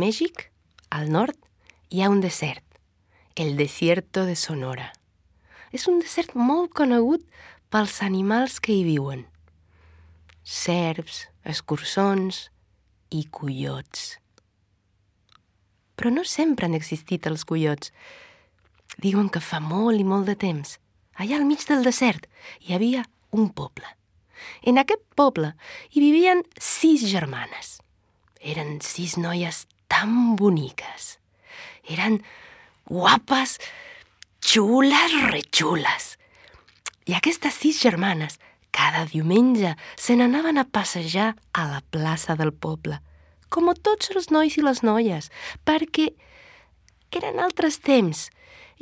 Mèxic, al nord, hi ha un desert, el Desierto de Sonora. És un desert molt conegut pels animals que hi viuen. Serps, escurçons i coiots. Però no sempre han existit els coiots. Diuen que fa molt i molt de temps, allà al mig del desert, hi havia un poble. En aquest poble hi vivien 6 germanes. Eren 6 noies tan boniques. Eren guapes, xules, retxules. I aquestes 6 germanes cada diumenge se n'anaven a passejar a la plaça del poble, com tots els nois i les noies, perquè eren altres temps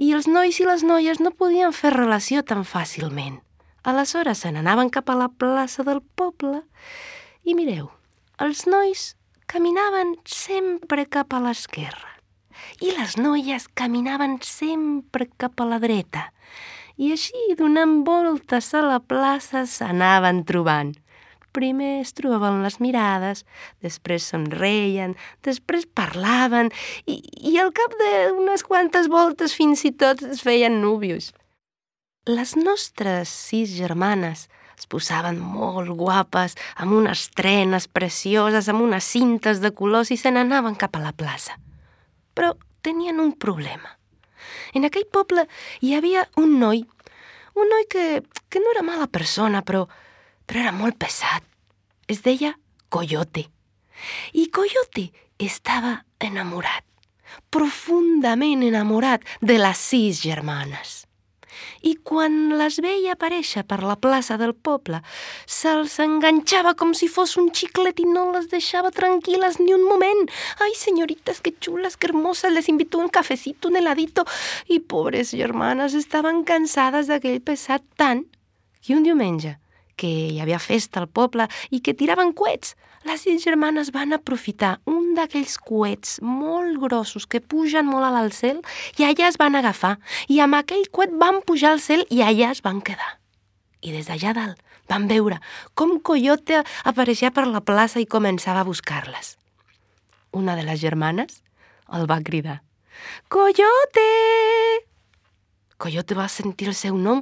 i els nois i les noies no podien fer relació tan fàcilment. Aleshores se n'anaven cap a la plaça del poble i mireu, els nois caminaven sempre cap a l'esquerra i les noies caminaven sempre cap a la dreta. I així, donant voltes a la plaça, s'anaven trobant. Primer es trobaven les mirades, després somreien, després parlaven i al cap d'unes quantes voltes fins i tot es feien núvios. Les nostres 6 germanes es posaven molt guapes, amb unes trenes precioses, amb unes cintes de colors i se n'anaven cap a la plaça. Però tenien un problema. En aquell poble hi havia un noi que no era mala persona, però era molt pesat. Es deia Coyote. I Coyote estava enamorat, profundament enamorat de les 6 germanes. I quan les veia aparèixer per la plaça del poble, se'ls enganxava com si fos un xiclet i no les deixava tranquil·les ni un moment. Ai, señoritas, qué chulas, qué hermosas, les invito un cafecito, un heladito. I pobres germanes estaven cansades d'aquell pesat tant que un diumenge, que hi havia festa al poble i que tiraven coets, les 6 germanes van aprofitar un d'aquells coets molt grossos que pugen molt al cel i allà es van agafar. I amb aquell coet van pujar al cel i allà es van quedar. I des d'allà dalt van veure com Coyote apareixia per la plaça i començava a buscar-les. Una de les germanes el va cridar. «Coyote!» Coyote va sentir el seu nom,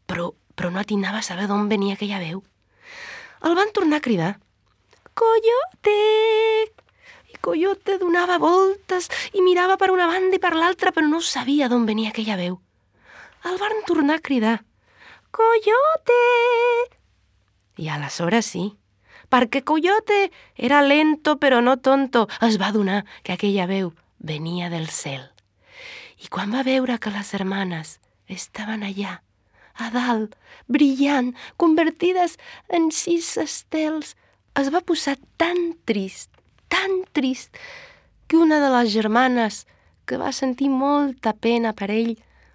però no atinava a saber d'on venia aquella veu. El van tornar a cridar. «Coyote!» I Coyote donava voltes i mirava per una banda i per l'altra, però no sabia d'on venia aquella veu. El van tornar a cridar. «Coyote!» I aleshores sí, perquè Coyote era lento però no tonto, es va adonar que aquella veu venia del cel. I quan va veure que les germanes estaven allà, a dalt, brillant, convertides en 6 estels, es va posar tan trist, que una de les germanes, que va sentir molta pena per ell,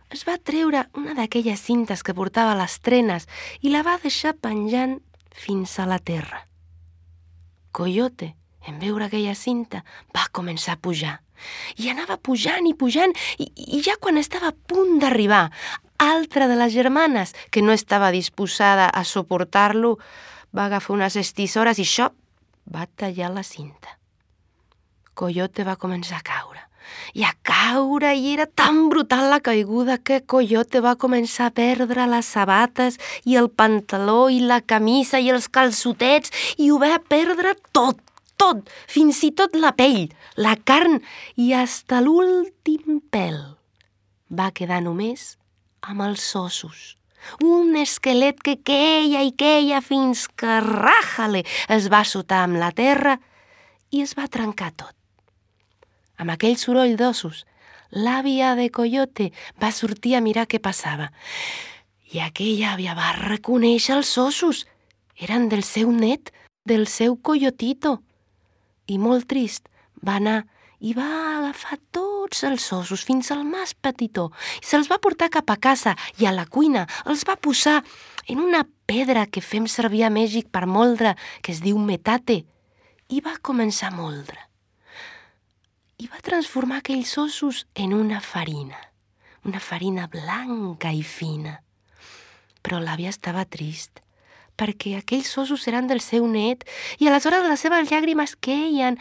es va treure una d'aquelles cintes que portava a les trenes i la va deixar penjant fins a la terra. Coyote, en veure aquella cinta, va començar a pujar. I anava pujant i ja quan estava a punt d'arribar, altra de les germanes, que no estava disposada a suportar-lo, va agafar unes estisores i xop, va tallar la cinta. Coyote va començar a caure. I era tan brutal la caiguda que Coyote va començar a perdre les sabates i el pantaló i la camisa i els calçotets i ho va perdre tot, fins i tot la pell, la carn i hasta l'últim pèl. Va quedar només amb els ossos. Un esquelet que queia fins que ràjale es va sotar amb la terra i es va trencar tot. Amb aquell soroll d'ossos, l'àvia de Coyote va sortir a mirar què passava. I aquella àvia va reconèixer els ossos. Eren del seu net, del seu Coyotito. I molt trist va anar i va agafar tots els ossos fins al més petitó i se'ls va portar cap a casa i a la cuina els va posar en una pedra que fem servir a Mèxic per moldre, que es diu metate, i va començar a moldre. I va transformar aquells ossos en una farina blanca i fina. Però l'àvia estava trist, perquè aquells ossos eren del seu net i aleshores les seves llàgrimes queien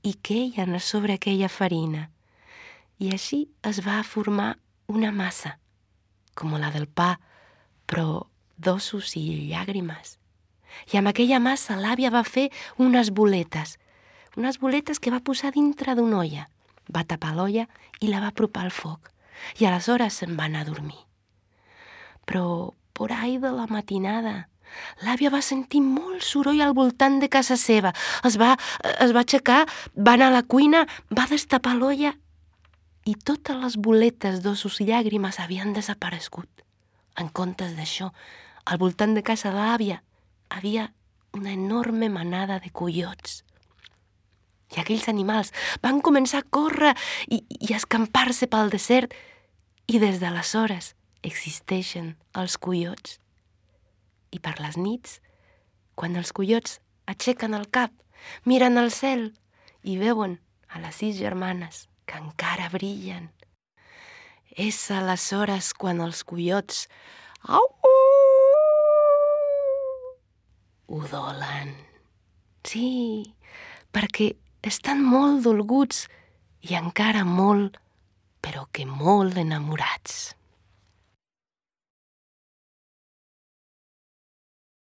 i queien a sobre aquella farina. I així es va formar una massa, com la del pa, però d'ossos i llàgrimes. I amb aquella massa l'àvia va fer unes boletes que va posar dintre d'una olla. Va tapar l'olla i la va apropar al foc. I aleshores se'n va anar a dormir. Però, por ahí de la matinada, l'àvia va sentir molt soroll al voltant de casa seva. Es va aixecar, va anar a la cuina, va destapar l'olla i totes les boletes d'ossos i llàgrimes havien desaparegut. En comptes d'això, al voltant de casa de l'àvia havia una enorme manada de coiots. I aquells animals van començar a córrer i a escampar-se pel desert i des d'aleshores existeixen els coiots. I per les nits, quan els coiots aixequen el cap, miren al cel i veuen a les 6 germanes que encara brillen. És aleshores quan els coiots udolen. Sí, perquè estan molt dolguts i encara molt, però que molt enamorats.